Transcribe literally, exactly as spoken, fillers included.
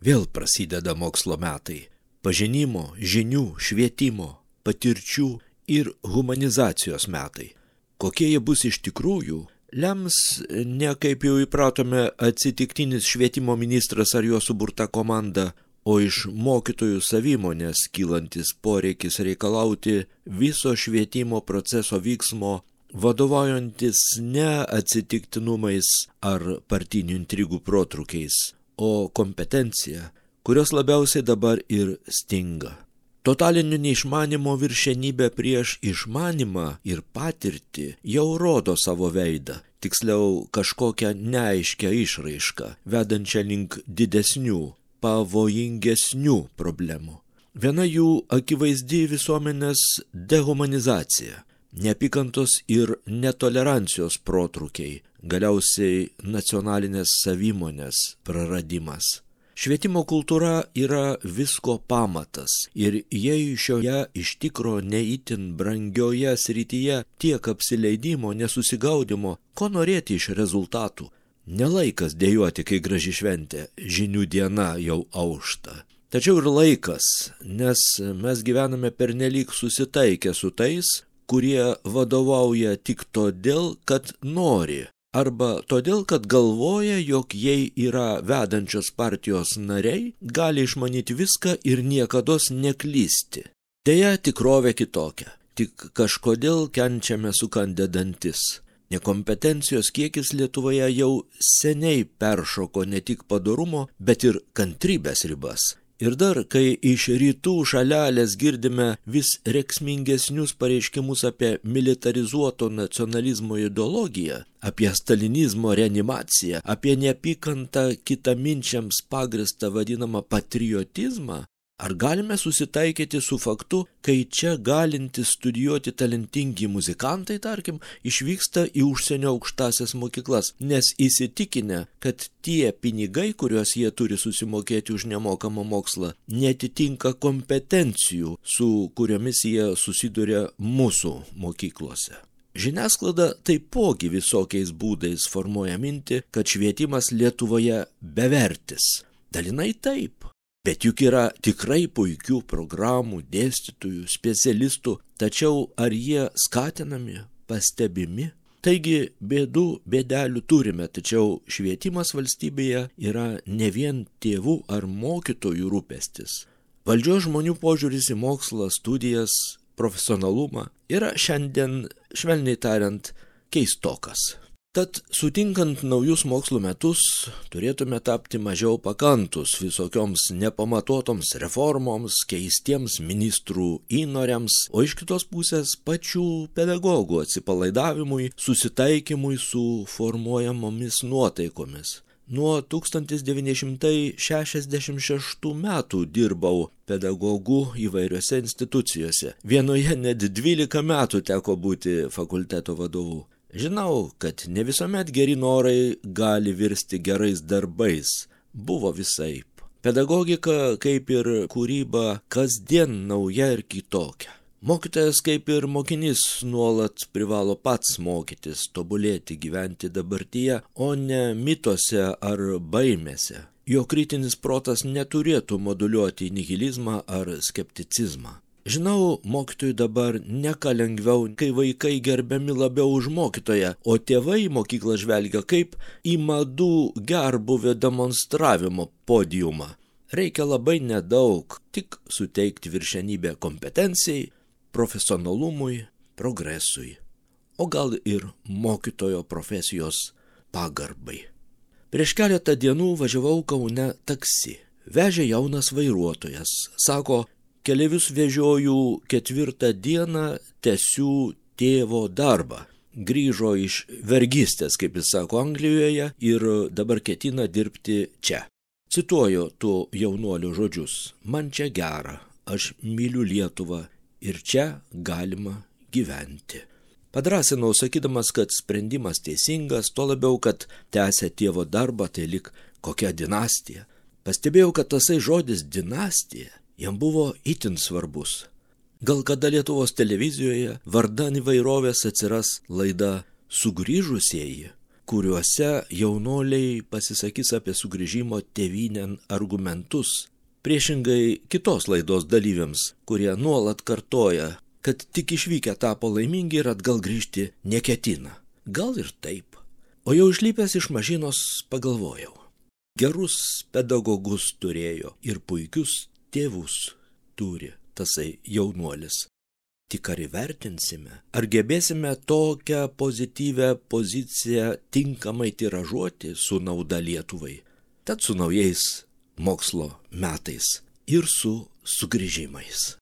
Vėl prasideda mokslo metai. Pažinimo, žinių, švietimo, patirčių ir humanizacijos metai. Kokie jie bus iš tikrųjų, lems ne kaip jau įpratome atsitiktinis švietimo ministras ar jo suburta komanda, o iš mokytojų savimonės kylantis poreikis reikalauti viso švietimo proceso vyksmo, vadovaujantis ne atsitiktinumais ar partinių intrigų protrukiais, o kompetencija, kurios labiausiai dabar ir stinga. Totalinio neišmanimo viršenybė prieš išmanimą ir patirtį jau rodo savo veidą, tiksliau kažkokią neaiškią išraišką, vedančią link didesnių, pavojingesnių problemų. Viena jų akivaizdi visuomenės dehumanizacija, neapykantos ir netolerancijos protrukiai, galiausiai nacionalinės savimonės praradimas. Švietimo kultūra yra visko pamatas ir jei šioje iš tikro neįtin brangioje srityje tiek apsileidimo, nesusigaudimo, ko norėti iš rezultatų. Nelaikas dejuoti, kai graži šventė, žinių diena jau aušta. Tačiau ir laikas, nes mes gyvename pernelyg susitaikę su tais, kurie vadovauja tik todėl, kad nori. Arba todėl, kad galvoja, jog jei yra vedančios partijos nariai, gali išmanyti viską ir niekados neklysti. Deja, tikrovė kitokia, tik kažkodėl kenčiame sukandę dantis. Nekompetencijos kiekis Lietuvoje jau seniai peršoko ne tik padorumo, bet ir kantrybės ribas. Ir dar, kai iš rytų šalelės girdime vis reksmingesnius pareiškimus apie militarizuoto nacionalizmo ideologiją, apie stalinizmo reanimaciją, apie neapykantą kitaminčiams pagristą vadinamą patriotizmą, ar galime susitaikyti su faktu, kai čia galintys studijuoti talentingi muzikantai, tarkim, išvyksta į užsienio aukštasias mokyklas, nes įsitikinę, kad tie pinigai, kuriuos jie turi susimokėti už nemokamą mokslą, netitinka kompetencijų, su kuriomis jie susiduria mūsų mokyklose. Žiniasklaida taipogi visokiais būdais formuoja mintį, kad švietimas Lietuvoje bevertis. Dalinai taip. Bet juk yra tikrai puikių programų, dėstytojų, specialistų, tačiau ar jie skatinami, pastebimi? Taigi bėdų, bėdelių turime, tačiau švietimas valstybėje yra ne vien tėvų ar mokytojų rūpestis. Valdžios žmonių požiūris į mokslą, studijas, profesionalumą yra šiandien, švelniai tariant, keistokas. Tad sutinkant naujus mokslo metus, turėtume tapti mažiau pakantus visokioms nepamatuotoms reformoms, keistiems ministrų įnoriams, o iš kitos pusės pačių pedagogų atsipalaidavimui, susitaikymui su formuojamomis nuotaikomis. Nuo tūkstantis devyni šimtai šešiasdešimt šeštų metų dirbau pedagogu įvairiose institucijose. Vienoje net dvylika metų teko būti fakulteto vadovu. Žinau, kad ne visuomet geri norai gali virsti gerais darbais. Buvo visaip. Pedagogika, kaip ir kūryba, kasdien nauja ir kitokia. Mokytojas, kaip ir mokinys, nuolat privalo pats mokytis, tobulėti, gyventi dabartyje, o ne mituose ar baimėse. Jo kritinis protas neturėtų moduliuoti nihilizmą ar skepticizmą. Žinau, mokytojui dabar ne ką lengviau, kai vaikai gerbiami labiau už mokytoją, o tėvai į mokyklą žvelgia kaip į madų gerbuvio demonstravimo podiumą. Reikia labai nedaug, tik suteikti viršenybę kompetencijai, profesionalumui, progresui, o gal ir mokytojo profesijos pagarbai. Prieš keletą dienų važiavau Kaune taksi. Vežė jaunas vairuotojas, sako, keleivius vežioju ketvirtą dieną, tęsiu tėvo darbą. Grįžo iš vergystės, kaip jis sako, Anglijoje ir dabar ketina dirbti čia. Cituoju tų jaunuolių žodžius. Man čia gera, aš myliu Lietuvą ir čia galima gyventi. Padrasinau, sakydamas, kad sprendimas teisingas, tuo labiau, kad tęsia tėvo darbą, tai lik kokia dinastija. Pastebėjau, kad tasai žodis dinastija jam buvo itin svarbus. Gal kada Lietuvos televizijoje vardan įvairovės atsiras laida Sugrįžusieji. kuriuose jaunoliai pasisakys apie sugrįžimo tėvynėn argumentus, priešingai kitos laidos dalyviams, kurie nuolat kartoja, kad tik išvykę tapo laimingi ir atgal grįžti neketina. Gal ir taip. O jau išlipęs iš mašinos pagalvojau. Gerus pedagogus turėjo ir puikius tėvus turi tasai jaunuolis. Tik ar įvertinsime, ar gebėsime tokią pozityvę poziciją tinkamai tiražuoti su nauda Lietuvai. Tad su naujais mokslo metais ir su sugrįžimais.